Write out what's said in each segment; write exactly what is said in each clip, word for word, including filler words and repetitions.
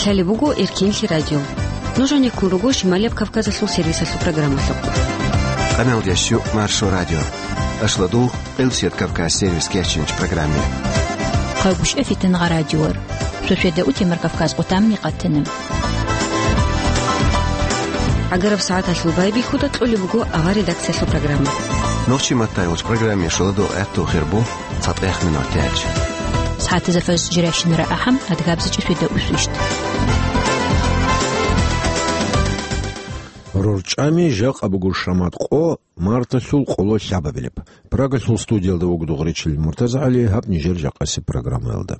Лъалеб буго Эркенлъи радио. Нуж гьанеккун руго Шималияб Кавказалъул сервисалъул программалъухъ. Къаналдеш Маршо радио. Ашладул, Къилсият Кавказ сервис кечинч программе. Хъагушев Фитнагъа радиор. Шошеда утемар Кавказ къутамни къатана. Агараб сагӀаталъул байбихьуда кьолеб буго авар редакциялъул программа. Нохчи маттайгъуч программе шоладо гӀатту хирбу. ЦатӀех минут тяч. СагӀатазда фажр жирайщинара ахӀам, адгабзичӀеб свида усвищт. РорчӀами жакъа буго шамат къо марталъул къоло лъабабилеб. Прагалъул студиялда вуго Дугъричил МуртазагӀали, гьаб нижер жакъасеб программаялда.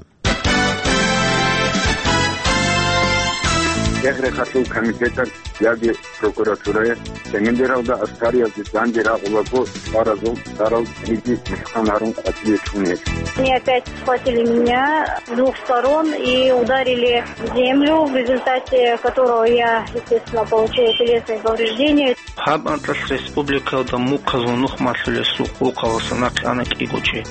Рехрехалъул комитеталъ яги прокуратурая Семендералда аскариялде данде рагъулаго чӀваразул цӀарал кьеги мухӀкан гьарун къватӀиве чӀун гьечӀо. Они опять схватили меня с двух сторон и ударили в землю, в результате которого я, естественно, получила телесные повреждения. Гьаб анкьалъ республикалда мухъазул нух малъулесул къулхъаласа нахъе ана кӀиго чи.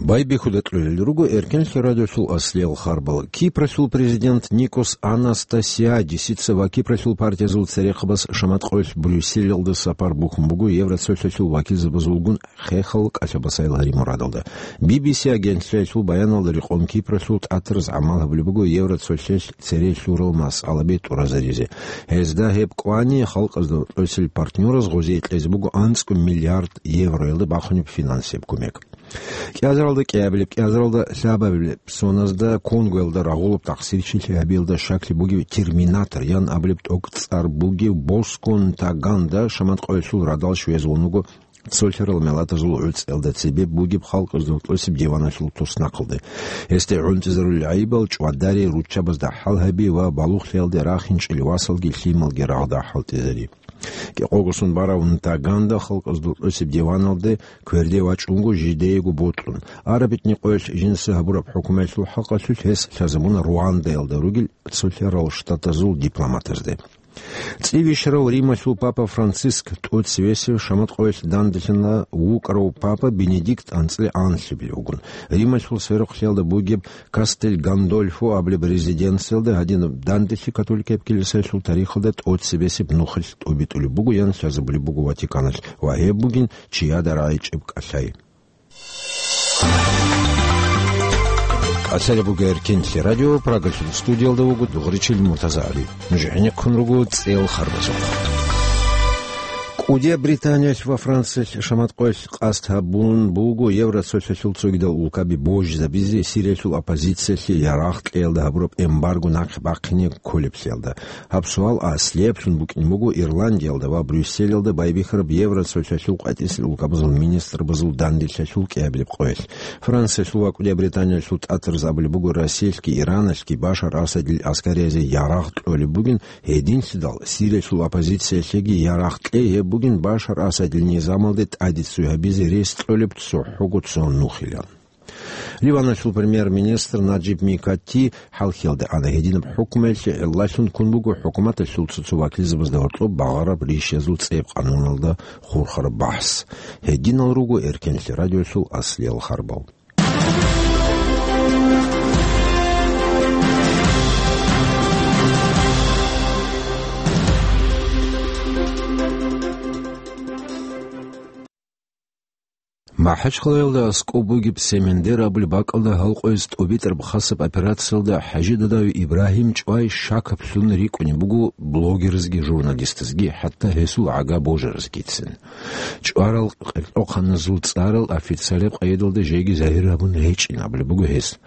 Байбихьуда кьолел руго Эркенлъи радиолъул аслиял харбал. Кипралъул президент Никос Анастасиадисица ва Кипралъул партиязул церехъабаз шамат къоялъ Брюсселалда сапар бухьун буго Евроцолъалъул вакилзабазулгун хехал кӀалъабасайил гьари мурадалда. Би би си агентлъиялъул баяналда рекъон Кипралъул тӀатараз гӀамал гьабулеб буго Евроцолъалъ цере лъурал масъалаби тӀуразаризе. Гьезда гьеб кӀвани халкъазда кьосел партнёраз гъозие кьезе буго анцӀго миллиард евроялда бахунеб финансияб кумек. КӀиазаралда кӀиабилеб, кӀиазаралда лъабабилеб соназда Конгоялда рагъулаб тахсирчилъи гьабиялда щаклъи бугев Терминатор ян абулеб тӀокӀцӀар бугев Боско Нтаганда шамат къоялъул радал щвезе вуго цолъарал миллатазул гӀуцӀиялда цебе бугеб халкъазда кьосеб диваналъул туснахъалде. Гьесде гӀунтӀизарулел гӀайибал чӀвадари, руччабазда хӀал гьаби ва балугълъиялде рахинчӀел васалги лъималги рагъда хӀалтӀизари. КӀикъого сон барав Нтаганда халкъазда кьосеб диваналде кверде вачӀунго жидеего бокьун. Араб бетӀер къоялъ жинца гьабураб хӀукуматлъул хӀакъалъулъ гьес лъазабуна Руандаялда ругел цолъарал штатазул дипломатазде. ЦӀивищарав Рималъул папа Франциск тӀоцевесев шамат къоялъ данделъана вукӀарав папа Бенедикт анцӀила анлъабилев вугун. Рималъул сверухълъиялда бугеб Кастель Гандольфо абулеб резиденциялда гьадинаб данделъи католикаб килисаялъул тарихалда тӀоцебесеб нухалъ тӀобитӀулеб буго ян лъазабулеб буго Ватиканалъ ва гьеб бугин чияда рагӀичӀеб кӀалъай. КӀалъалеб буго Эркенлъи радио, Прагалъул студиялда вуго Дугъричил МуртазагӀали. Нуж гӀенеккун руго цӀел харбазухъ. КӀудияб Британиялъ ва Франциялъ шамат къоялъ къасд гьабун буго Евроцолъалъул цогидал улкаби божизабизе Сириялъул оппозициялъе ярагъ кьеялда гьабураб эмбарго нахъе бахъине кколеблъиялда. Гьаб суал аслияб букӀин буго Ирландиялда ва Брюсселалда байбихьараб Евроцолъалъул къватӀисел улкабазул министрбазул данделъиялъул кӀиабилеб къоялъ. Франциялъул ва КӀудияб Британиялъул тӀатараз абулеб буго Россиялъги Ираналъги Башар Асадил аскариязде ярагъ кьолеб бугин, гьединлъидал Сириялъул оппозициялъеги ярагъ кьей гьеб бугин Башар Асадил низамалде тӀадиццуй гьабизе рес кьолеб цохӀого цо нухилан. Ливаналъул премьер-министр Наджиб Микати хӀалхьиялда ана гьединаб хӀукмуялъе гӀиллалъун ккун буго хӀукуматалъул цо-цо вакилзабазда гьоркьоб багъараб ришязул цӀеб къануналда хурхараб бахӀс. Гьединал руго Эркенлъи радиолъул аслиял харбал. МахӀачхъалаялда аскӀоб бугеб Семендер абулеб бакӀалда гьалкъояз тӀубитӀараб хасаб операциялда ХӀажидадав Ибрагьим чӀвай щакаблъун рикӀкӀунеб буго блогерзги журналистазги, хӀатта гьесул гӀага божаразгицин. ЧӀварал къеркьохъаназул цӀарал официалаб къайдалда жеги загьир гьабун гьечӀин абулеб буго гьес.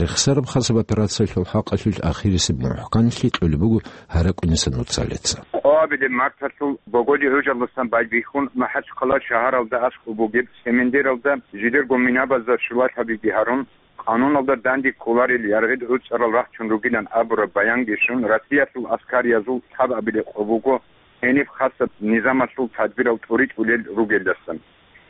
Рехсараб хасаб операциялъул хӀакъалъулъ ахирисеб мухӀканлъи кьолеб буго гьаракӀуниса нуцалица. Къоабилеб марталъул богоде гӀужалдасан байбихьун, МахӀачхъала шагьаралда аскӀоб бугеб Семендералда жидерго минабазда щулалъабиги гьарун, къануналда данде кколарел яргъид гӀуцӀарал рахчун ругилан абураб баянги щун, Россиялъул аскариязул лъабабилеб къо буго гьениб хасаб низамалъул тадбирал тӀуритӀулел ругелдасан.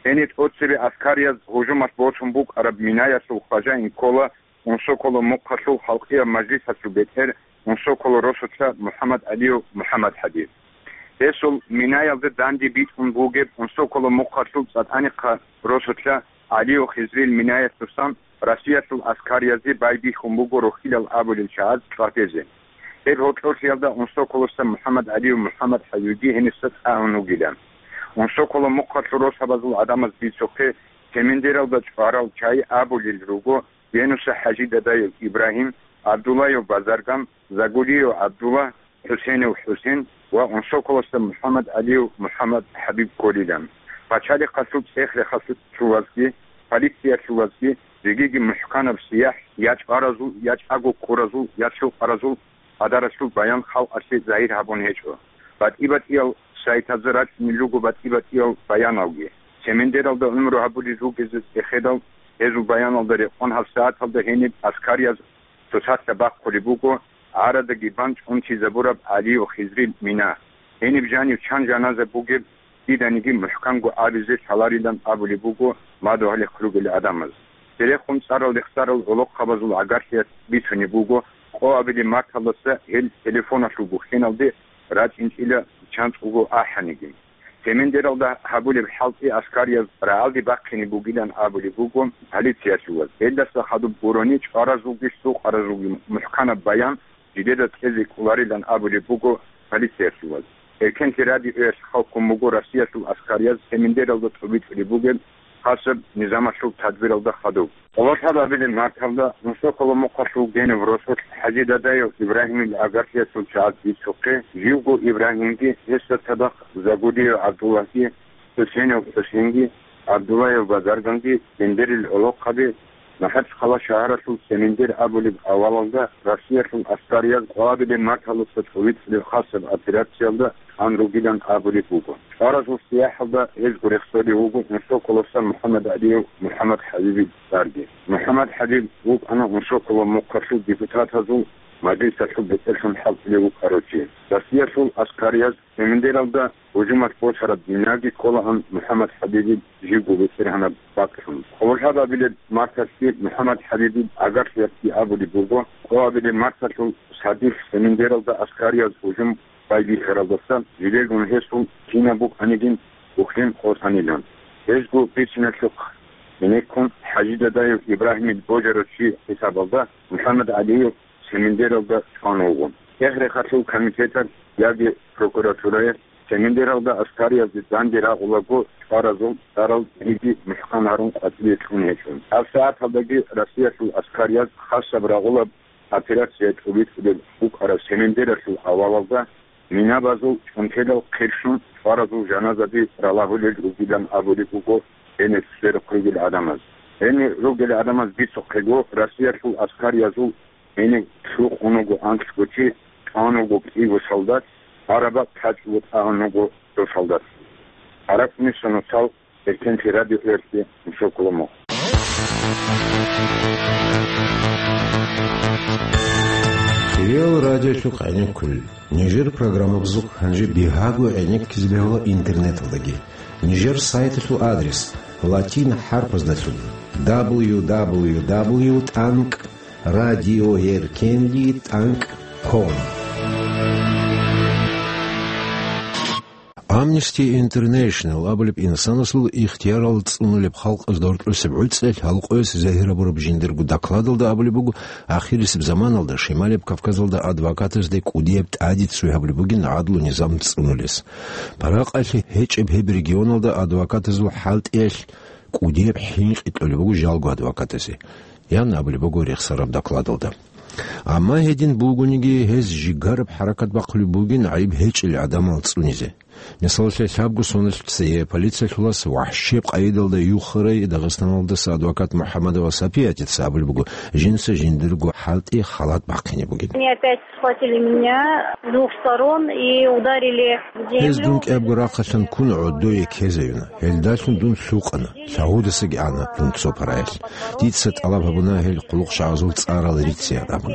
Гьениб тӀоцебе аскарияз гьужумалъ босун букӀараб минаялъул хважаин ккола Унсоколо мухъалъул халкъияб мажлисалъул бетӀер Унсоколо росулъа МухӀаммад ГӀалиев МухӀаммадхӀади. Гьесул минаялда данде битӀун бугеб Унсоколо мухъалъул ЦӀатӀанихъа росулъа ГӀалиев Хизрил минаялъусан Россиялъул аскариязде байбихьун буго рохьилал абулел чагӀаз чӀватезе. Гьеб гьоркьорлъиялда Унсоколоса МухӀаммад ГӀалиев МухӀаммад ХӀабибги гьениса цӀагьун вугилан. Унсоколо мухъалъул росабазул гӀадамаз бицухъе, Семендералда чӀварал чагӀи абулел руго Генуса ХӀажи Дадаев Ибрагьим, ГӀабдуллаев Базарган, Загулиев ГӀабдулла, ХӀусенев ХӀусен ва Унсоколоса МухӀаммад ГӀалиев МухӀаммад ХӀабиб кколилан. Пачалихъалъул цӀех-рехалъулазги, полициялъулазги жегиги мухӀканаб сияхӀ я чӀваразул, я чӀаго ккуразул, я лъукъаразул къадаралъул баян халкъалъе загьир гьабун гьечӀо. БатӀи-батӀиял сайтазда рачӀунел руго батӀи-батӀиял баяналги. Семендералда гӀумру гьабулел ругезул цӀехедал, гьезул баяналда рекъон гьабсагӀаталда гьениб аскарияз цоцалъа бахъулеб буго, гӀарадаги бан чӀунтизабураб ГӀалиев Хизрил мина. Гьениб жанив чан жаназа бугеб, диданиги мухӀканго абизе лъаларилан абулеб буго мадугьалихъ ругел гӀадамаз. Церехун цӀарал рехсарал гӀолохъабазул гӀагарлъиялъ бицунеб буго, къо абилеб марталдаса гьел телефоналъул бухьеналде рачӀинчӀила чанцӀго ахӀаниги. Семендералда гьабулеб хӀалтӀи аскарияз рагӀалде бахъине бугилан абулеб буго полициялъулаз. Гьелдаса хадуб гурони чӀваразулги лъукъаразулги мухӀканаб баян жидеда кьезе кӀоларилан абулеб буго полициялъулаз. Эркенлъи радиоялъ хъалкун буго Россиялъул аскарияз Семендералда тӀубитӀулеб бугеб хасаб низамалъул тадбиралда хадуб. Къоло лъабабилеб марталда Мусоколо мухъалъул генив росулъ ХӀажи Дадаев Ибрагьимил агарлъиялъул чагӀаз бицухъе, живго Ибрагьимги, гьесда цадахъ Загудиев ГӀабдуллагьги, ХӀусенев ХӀусенги, ГӀабдуллаев Базарганги, Семендерил гӀолохъаби, МахӀачхъала шагьаралъул Семендер абулеб авалалда Россиялъул аскарияз къвабилеб марталуца цӀувицӀлъи хасаб операциялда тӀан ругилан абулеб буго. ЧӀваразул сияхӀалда гьезго рехсолев вуго Мусоколоса МухӀаммад ГӀалиев МухӀаммад ХӀабибил цӀарги. МухӀаммад ХӀабиб вукӀана Мусоколо мухъалъул депутатазул мажлисалъул бетӀерлъун хӀалтӀулев вукӀарав чи. Россиялъул аскарияз Семендералда гьужумалъ босараб динаги кколаан МухӀаммад ХӀабибил живго бетӀергьанаб бакӀлъун. Къоло лъабабилеб марталъги МухӀаммад ХӀабибил агарлъиялъги абулеб буго, къоабилеб марталъул садилъ Семендералда аскарияз гьужум байбихьаралдаса жидерго гьесул кинаб букӀанигин бухьен къотӀанилан. Гьезго бициналъухъ гьенеккун ХӀажи Дадаев Ибрагьимил божарав чи хӀисабалда МухӀаммад ГӀалиев Семендералда чӀван вуго. Цех-рехалъул комитеталъ яги прокуратураялъ Семендералда аскариязде данде рагъулаго чӀваразул цӀарал диги мухӀкан гьарун къватӀибе кьун гьечӀо. Гьаб сагӀаталдаги Россиялъул аскарияз хасаб рагъулаб операция тӀубитӀулеб букӀараб Семендералъул авалалда минабазул чӀунтелал хъерщун чӀваразул жаназаби ралагьулел ругилан абулеб буго гьенир церехъ ругел гӀадамаз. Гьенир ругел гӀадамаз бицухъего Россиялъул аскариязул гьенив лъукъун вуго анкьго чи, тӀан вуго кӀиго солдат, гьараб бакӀ тачӀго тӀагӀун вуго цо солдат. Гьаракь нуса нусал Эркенлъи радиоялъе Мусоколо мухъ. Кирил радиолъухъ гӀенеккулел. Нижер программабазухъ гьанже бигьаго гӀенеккизе бегьула интернеталдаги. Нижер сайталъул адрес латин хӀарпаздалъун: дабл ю дабл ю дабл ю тӀанкӀ радиоэркенлъи тӀанкӀ ком. Amnesty International абулеб инсанасул ихтиярал цӀунулеб халкъаз доркьусеб гӀуцӀел гьалкъояс загьир гьабураб жиндирго докладалда абулеб буго, ахирисеб заманалда Шималияб Кавказалда адвокатазде кӀудияб тӀаде ццуй гьабулеб бугин гӀадлу-низам цӀунулес. Паракъалъе гьечӀеб гьеб регионалда адвокатазул хӀалтӀиялъ кӀудияб хӀинкъи кьолеб буго жалго адвокатазе, ян абулеб буго рехсараб докладалда. Амма гьедин бугониги, гьез жигараб хӀаракат бахъулеб бугин гӀайиб гьечӀел гӀадамал цӀунизе. Мисалалъе, лъабго соналъ цее полициялъулас вахӀшияб къайдалда юхарай Дагъистаналдаса адвокат МухӀаммадова Сапиятица абулеб буго, жинца жиндирго хӀалтӀи халат бахъине бугин. Они опять схватили меня с двух сторон и ударили в землю. Гьез дун кӀиябго рахъалъан ккун гӀодое ккезаюна. Гьелдалъун дун лъукъана. Лъагьудасаги ана дун цо параялъ. Дица тӀалаб гьабуна гьел хъулухъчагӀазул цӀарал рицеян абун.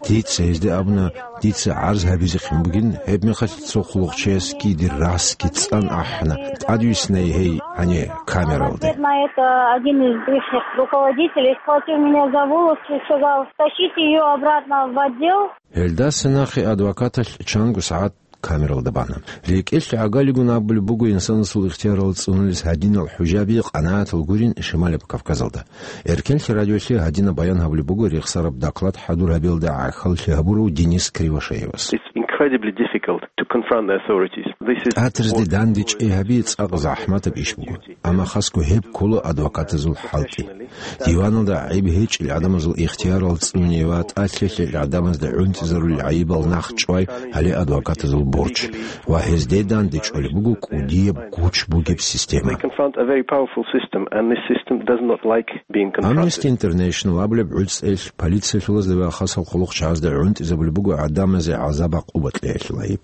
Дица гьезде абуна, дица гӀарз гьабизехъин бугин, гьебмехалъ цо хъулухъчиясги дир расги цӀан ахӀана, тӀадвиснай гьей гьане камералде. Ответ на это один из ихних руководителей схватил меня за волосы и сказал: «Тащите её обратно в отдел». Гьелдаса нахъе адвокаталъ чанго сагӀат камералда бана. РекӀелъ гӀагалигун абулеб буго инсанасул ихтиярал цӀунулес гьадинал хӀужаби къанагӀатал гурин Шималаб Кавказалда. Эркенлъи радиолъе гьадинаб баян гьабулеб буго рехсараб доклад хӀадур гьабиялда гӀахьаллъи гьабурав Денис Кривошеевас. It's incredibly difficult to confront the authorities. This is ТӀатарзде what дандечӀей гьаби цӀакъ захӀматаб иш буго. Амма хасго гьеб ккола адвокатазул хӀалтӀи. Диваналда гӀайиб гьечӀел гӀадамазул ихтиярал цӀуне ва тӀад лъелъел гӀадамазда гӀунтӀизарулел гӀайибал нахъ чӀвай гьале адвокатазул борч ва гьезде данде чӀвалеб буго кӀудияб гуч бугеб система. They confront a very powerful system, and this system does not like being confronted. Amnesty International абулеб гӀуцӀелъ полициялъулазда ва хасал хъулухъчагӀазда гӀунтӀизабулеб буго гӀадамазе гӀазаб-гӀакъуба кьеялъул гӀайиб.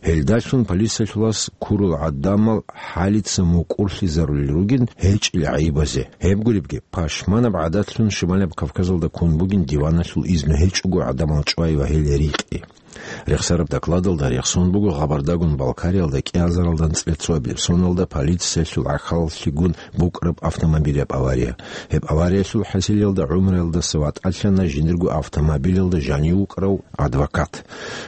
Гьелдалъун полициялъулас ккурал гӀадамал хӀалица мукӀурлъизарулел ругин гьечӀел гӀайибазе. Гьеб гуребги, пашманаб гӀадатлъун Шималаб Кавказалда ккун бугин диваналъул изну гьечӀого гӀадамал чӀвай ва гьел рикьи. Рехсараб докладалда рехсон буго Гъабардагун Балкариялда кӀиазаралда анцӀила цоабилеб соналда полициялъул гӀахьаллъигун букӀараб автомобиляб авария. Гьеб авариялъул хӀасилалда гӀумруялдаса ватӀалъана жиндирго автомобилалда жанив вукӀарав адвокат.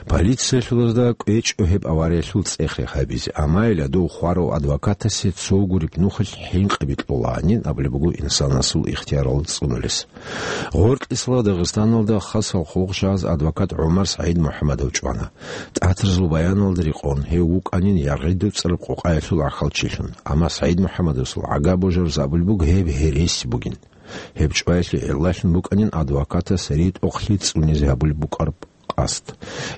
Полициялъулазда кӀвечӀо гьеб авариялъул цӀех-рех гьабизе, амма гьелдав хварав адвокатасе цо гуреб нухалъ хӀинкъиби кьолаанин абулеб буго инсанасул ихтиярал цӀунулес. Гъоркьисала Дагъистаналда хасал хъулухъчагӀаз адвокат ГӀумар СагӀид МухӀамадов чӀвана. ТӀатарзул баяналда рекъон, гьев вукӀанин ЯргӀидуцӀараб къокъаялъул гӀахьалчилъун, амма СагӀид МухӀамадовасул гӀага божарзабулеб буго гьеб гьереси бугин. Гьеб чӀваялъе гӀиллалъун букӀанин адвокатас ритӀухълъи цӀунизе гьабулеб букӀараб къасд.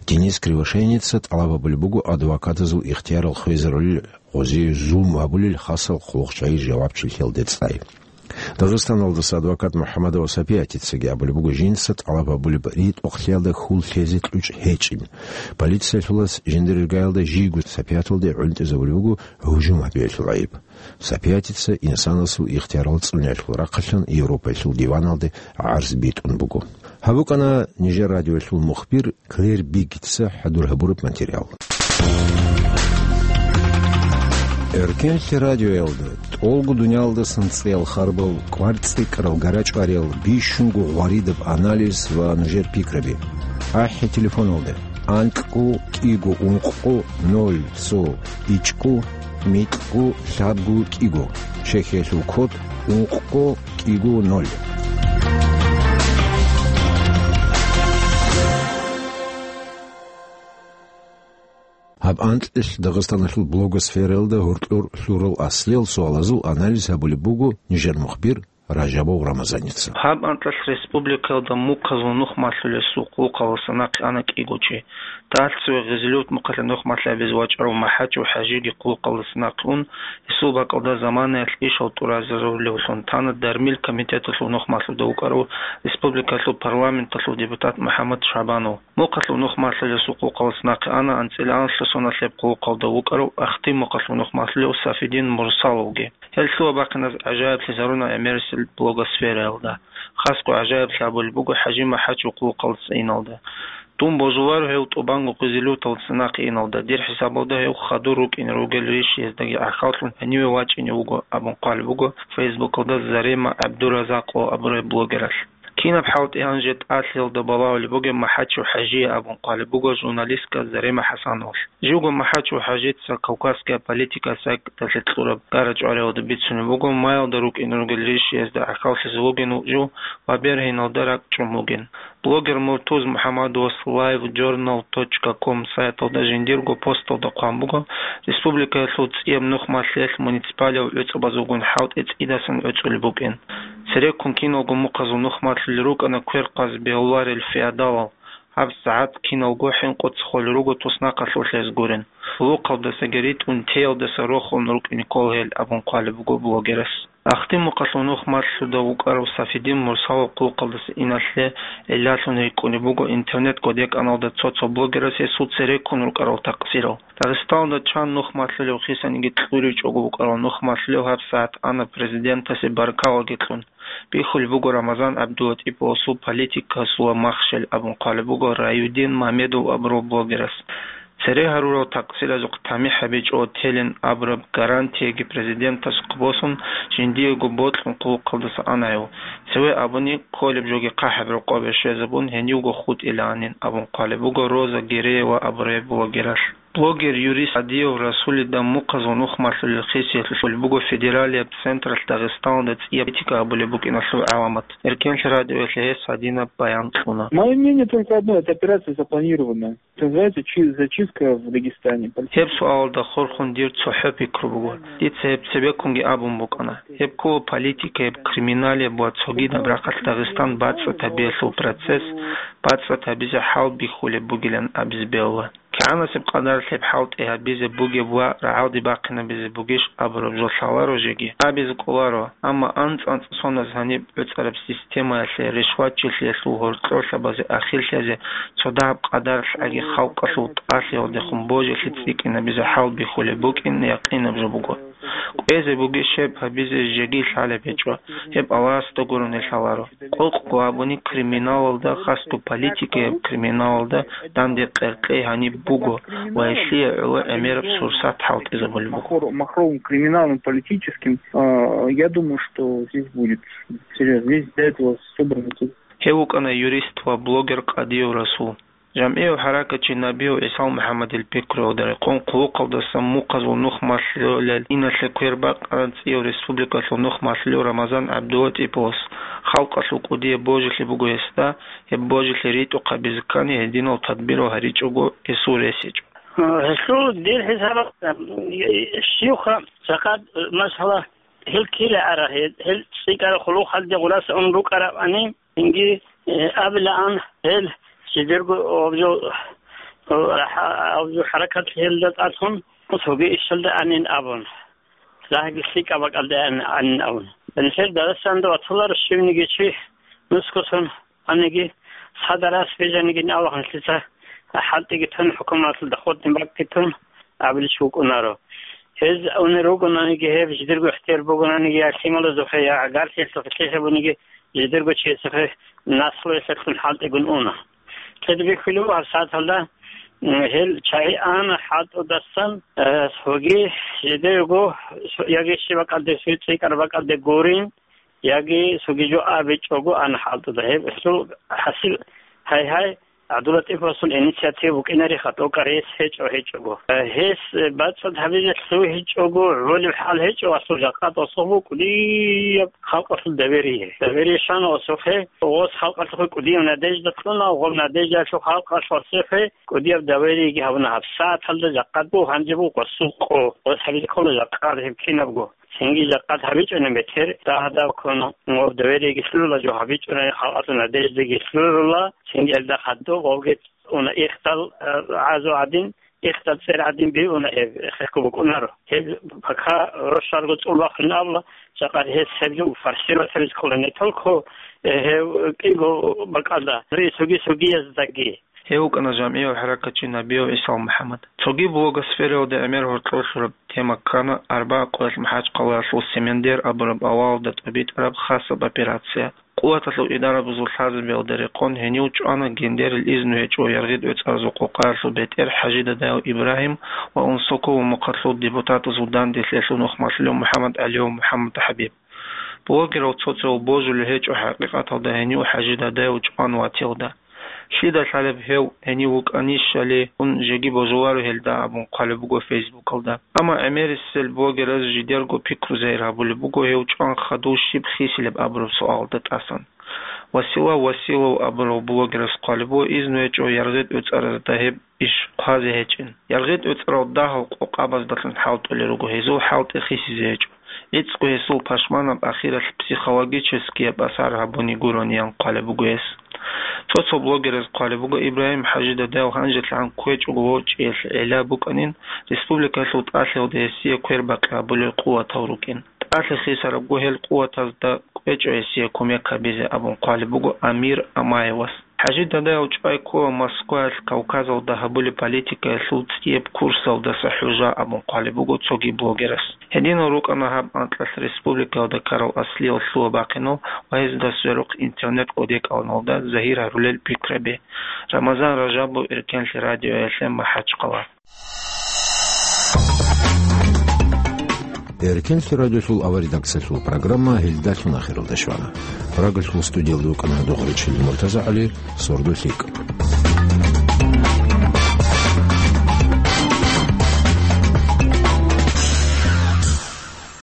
Денис Кривошеевица тӀалаб гьабулеб буго адвокатазул ихтиярал хвезарулел, гъозие зулм гьабулел хасал хъулухъчагӀи жавабчилъиялде цӀай. Дагъистаналдаса адвокат МухӀамадова Сапиятицаги абулеб буго жинца тӀалаб гьабулеб ритӀухълъиялда хьул лъезе кьучӀ гьечӀин. Полициялъулас жиндир иргаялда жийго Сапияталде гӀунтӀизабулеб буго гьужум гьабиялъул гӀайиб. Сапиятица инсанасул ихтиярал цӀуниялъул рахъалъан Европаялъул диваналде гӀарз битӀун буго. Гьаб букӀана нижер радиоялъул мухбир Клэр Биггитса хӀадур гьабураб материал. Эркенлъи радиоялда тӀолго дуниялдасан цӀеял харбал, кӀвар цӀикӀкӀарал, гарачӀвариял, бищунго гъваридаб анализ ва нужер пикраби. АхӀи телефоналда: анкьго кӀиго ункъго ноль цо ичӀго микьго лъабго кӀиго. Чехиялъул код: ункъго кӀиго ноль. Гьаб анкьилъ Дагъистаналъул блогосфераялда гьоркьор лъурал аслиял суалазул анализ гьабулеб буго нижер мухбир Ражабов Рамазаница. Гьаб анкьалъ республикаялда мухъазул нух малъулесул хъулухъалдаса нахъе ана кӀиго чи. Талъцеве Гъизилюрт мухъалъе нух малъи гьабизе вачӀарав МахӀачев ХӀажиги хъулухъалдаса нахъе ун, гьесул бакӀалда заманаялъ ишал тӀуразарулевлъун тана Дармил комитеталъул нух малъуда вукӀарав республикалъул парламенталъул депутат МухӀаммад Шабанов. Мухъалъул нух малъулесул хъулухъалдаса нахъе ана анцӀила анлъго соналъ гьеб хъулухъалда вукӀарав Ахтимухъалъул нух малъулев Сафидин Мурсаловги. Гьел лъугьа-бахъиназ гӀажаиблъизаруна гӀемерисел блогосфераялда. Хасго гӀажаиблъи гьабулеб буго ХӀажи МахӀачев хъулухъалдаса иналда. Дун божуларо гьев тӀубанго Гъизилюрталдаса нахъе иналда. Дир хӀисабалда гьев хадур рукӀине ругел рищ гьездаги гӀахьаллъун гьениве вачӀине вуго, абун хъвалеб буго Фейсбукалда Зарема ГӀабдуразакъов абурай блогералъ. Кинаб хӀалтӀи гьанже тӀалъиялда балагьулеб бугеб МахӀачев ХӀажие абун хъвалеб буго журналистка Зарема ХӀасановалъ. Живго МахӀачев ХӀажица кавказская политика сайталъе кьураб гарачӀвариялда бицунеб буго, маялда рукӀине ругел рищ гьезда гӀахьаллъизе вугин жив ва бергьиналда ракӀчӀун вугин. Блогер Муртуз МухӀамадовас лайв журнал точка ком сайталда жиндирго посталда хъван буго, республикаялъул цӀияб нух малъиялъ муниципалиял гӀуцӀбазулгун хӀалтӀи цӀидасан гӀуцӀулеб букӀин. Цереккун киналго мухъазул нух малъулел рукӀана квер-къаз бегьуларел феодалал. ГьабсагӀат киналго хӀинкъуца холел руго туснахъалъулъ гьез гурин. Хъулухъалдасаги ритӀун, теялдаса рохун рукӀине ккола гьел, абун хъвалеб буго блогерас. Ахтимухъалъул нух малъуда вукӀарав Сафидин Мурсалов хъулухъалдаса иналъе гӀиллалъун рикӀкӀунеб буго интернет-кодекӀаналда цо-цо блогерас гьесул цереккун рукӀарал такъсирал. Дагъистаналда чан нух малъулев хисаниги кьуричӀого вукӀарал нух малъулев гьабсагӀат ана президентасе баркалаги кьун. Бихьулеб буго Рамазан ГӀабдулатӀиповасул политикасул ва махщел, абун хъвалеб буго Раюдин Мамедов абурав блогерас. Цере гьарурал такъсиразухъ тамихӀ гьабичӀого телин абураб гарантияги президентасухъ босун, жиндиего бокьун хъулухъалдаса ана гьев. Цеве абуни, кколеб жоги хъахӀаб рокъобе щвезабун, гьенивго хутӀилаанин, абун хъвалеб буго Роза Гереева абурай блогералъ. Блогер, юрист Адиев Расулида мухъазул нух малъулел хисиялъулъ буго федералияб централъ Дагъистаналда цӀияб политика абулеб букӀиналъул гӀаламат. Эркенлъи радиоялъе гьес гьадинаб баян кьуна. Мое мнение только одно, эта операция запланирована. Это называется чи-, зачистка в Дагестане. Гьеб суалалда хурхун дир цохӀо пикру буго. Дица гьеб цебеккунги абун букӀана. Гьеб ккола политика, гьеб криминалияб ва цогидаб рахъалъ Дагъистан бацӀцӀад гьабиялъул процесс, бацӀцӀад гьабизе хӀал бихьулеб бугилан абизе бегьула. КигӀанасеб къадаралъ гьеб хӀалтӀи гьабизе бугеб ва рагӀалде бахъинабизе бугищ абураб жо лъаларо жеги, абизе кӀоларо, амма анцӀ-анцӀ соназ гьаниб гӀуцӀараб системаялъе, ришватчилъиялъул гьоркьорлъабазе ахирлъизе цо дагьаб къадаралъ аги халкъалъул тӀалъиялдехун божилъи цӀикӀкӀинабизе хӀал бихьулеб букӀин якъинаб жо буго. КӀвезе бугищ гьеб гьабизе жеги лъалеб гьечӀо, гьеб Аллагьасда гурони лъаларо. Къокъго абуни, криминалалда, хасго политикаяб криминалалда данде къеркъей гьаниб буго ва гьелъие гӀоло гӀемераб сурсат хӀалтӀизабулеб буго. Махро-, махровым криминалом политическим, а, я думаю, что здесь будет серьёзно. Здесь для этого собраны тут. Гьев вукӀана юрист ва блогер Къадиев Расул. ЖамгӀияв хӀаракатчи Набиев ГӀисал МухӀаммадил пикруялда рекъон, хъулухъалдасан мухъазул нух малъулел, иналъе квер бакъараб цӀияв республикалъул нух малъулев Рамазан ГӀабдулатӀиповас халкъалъул кӀудияб божилъи буго гьесда, гьеб божилъи ритӀухъабизе ккани гьединал тадбирал гьаричӀого гьесул рес гьечӀо. Гьелъул дир хӀисабалда, щивха жакъа, масала, гьел кире ара, гьел, гьел цӀикӀкӀараб хъулухъалде гъураса ун рукӀарабани, цинги, э, абилаан гьел жидерго гьаб жо, гьаб жо хӀаракат гьелда тӀалъун, цоги ишалда анин абун, лагьги лъикӀаб бакӀалда ан-, анин абун. Нилъер Дагъистанда ватуларо щивниги чи нусгосон аниги, цадарас бижанигин Аллагьасица хӀалтӀиги тун, хӀукуматалда хутӀин бакӀги тун абилищ вукӀунаро. Гьез унел ругонаниги, гьеб жидерго ихтияр бугонаниги, я лъималазухъе, я гӀагарлъиялъухъе лъихӀебуниги, жидерго чиясухъе наслуялъулъун хӀалтӀигун уна. Цебе бихьулев гьабсагӀаталда, м, гьел чагӀи ана хӀалтӀудасан, э, цоги жидерго, яги щиб бакӀалде, цо цӀикӀкӀараб бакӀалде гурин, яги цоги жо абичӀого ана хӀалтӀуда. Гьеб гьелъул хӀасил, гьай-гьай, ГӀабдулатӀиповасул инициатива букӀинариха, тӀокӀаб рес гьечӀо гьечӀого. Гьес бацӀцӀад гьабизе лъугьичӀого гӀолеб хӀал гьечӀо, асул жакъа тӀосухъ буго кӀудияб халкъалъул доверие. Доверие щвана осухъе, гъос халкъалъухъе кӀудияб надежда кьуна, гъоб надеждаялъухъ халкъалъ осухъе кӀудияб довериеги гьабуна гьабсагӀаталда, жакъа буго, гьанже буго гъосул къо, гъос гьабизе ккола жакъа гьеб кинабго. Цинги жакъа гьабичӀони бетер, дагьадаб ккун, гъоб довериеги лъугьула, жо гьабичӀони халкъалъул надеждаги лъугьула, цинги гьелда хадуб гъобги уна ихтал, э, гӀазу гӀадин, ихтал цӀер гӀадин биуна гьеб, хехго букӀунаро. Гьеб пока рощалго цӀул бахъун абула, жакъа гьес гьеб жо форсировать гьабизе ккола не только, э, гьев кӀиго бакӀалда, цоги-цогияздаги. Гьев вукӀана жамгӀияв хӀаракатчи Набиев ГӀисал МухӀаммад. Цоги блогосфераялда гӀемер гьоркьор лъураб тема ккана арбагӀа къоялъ МахӀачхъалаялъул Семендер абураб авалалда тӀобитӀараб хасаб операция. Къуваталъул идарабазул лъазабиялда рекъон гьенив чӀвана гендерил изну гьечӀо яргъи-тӀоцӀаразул къокъаялъул бетӀер ХӀажи Дадаев Ибрагьим ва Унсокова мухъалъул депутатазул данделъиялъул нухмалъулев МухӀаммад ГӀалиев МухӀаммад ХӀабиб. Блогерал цо-цоял божулел гьечӀо, хӀакъикъаталда гьенив ХӀажи Дадаев чӀван ватилда. Лъида лъалеб гьев, гьенив вукӀанищали, ун жеги божуларо гьелда абун хъвалеб буго Фейсбукалда. Амма гӀемерисел блогераз жидерго пикру загьир гьабулеб буго гьев чӀван хадув щиб хисилеб абураб суалалда тӀасан. Васила Василов абурав блогерас хъвалеб буго, изну гьечӀо яргъи-тӀоцӀаразда гьеб иш хъвазе гьечӀин. ЯргъитӀуцӀрал дагьал къокъабаздалъун хӀалтӀулел руго, гьезул хӀалтӀи хисизе гьечӀо. ГӀицӀго гьесул пашманаб ахиралъ психологическияб асар гьабуни гурони, ян хъвалеб буго гьес. Цо-цо блогераз хъвалеб буго, Ибрагьим ХӀажи Дадаев гьанжелъагӀан кквечӀого вочӀиялъ гӀела букӀанин, республикалъул тӀалъиялда гьесие квербакъи гьабулел къуватал рукӀин. ТӀалъи хисарабго гьел къуватазда кӀвечӀо гьесие кумек гьабизе абун хъвалеб буго Амир Амаевас. ХӀажи Дадаев чӀвай ккола Москваялъ Кавказалда гьабулеб политикаялъул цӀияб курсалдаса хӀужа абун хъвалеб буго цоги блогерас. Гьединал рукӀана гьаб анкьалъ республикаялда ккарал аслиял лъугьа-бахъинал ва гьезда сверухъ интернет кӀодекӀалналда загьир гьарулел пикраби. Рамазан Ражабов, Эркенлъи радиоялъе, МахӀачхъала. Эркенлъи радиолъул авар редакциялъул программа гьелдалъун ахиралда щвана. Прагалъул студиялда вукӀана Догъричил МуртазагӀали, сордо лъикӀ.